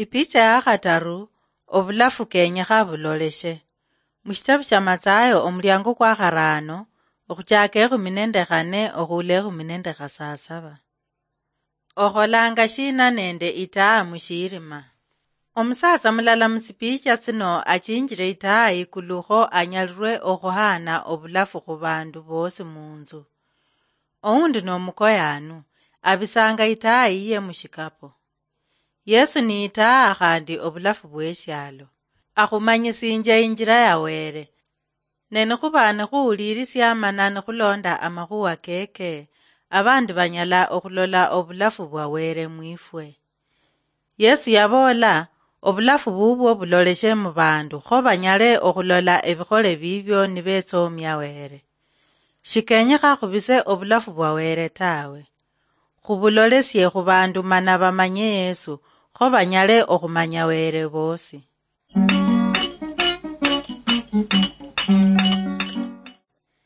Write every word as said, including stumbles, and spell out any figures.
Ipicha ya khataru, obulafu kenyekha buloleshe. Mushitabu sha Mathayo, omulyango kwa kharaano, okhuchaka ekhumi nende khane okhuula ekhumi nende khasasaba. Okholanga shina nende itaa mushirima? Omusatsa mulala mutsipicha tsino achinjire itaa ikulu kho anyalirwe okhuhaana obulafu khubandu boosi munzu. Oundi nomukoyaanu, abisanga itaa yiye mushikapo. Yesu ni itaa khandi obulafu bweshialo. Akhumanyisinjia injira ya Were. Ne nikhuba nikhuwulirisia mana nikhulonda amakhuwa keke, abandi banyala okhulola obulafu bwa Were mwifwe. Yesu yaboola, obulafu bubwo buloleshe mubandu kho banyale okhulola ebikhole bibyo nibetsomia Were. Shikenyekha khubise obulafu bwa Were tawe. Khubulolesie khubandu mana bamanye Yesu kho banyale okhumanya Were bosi.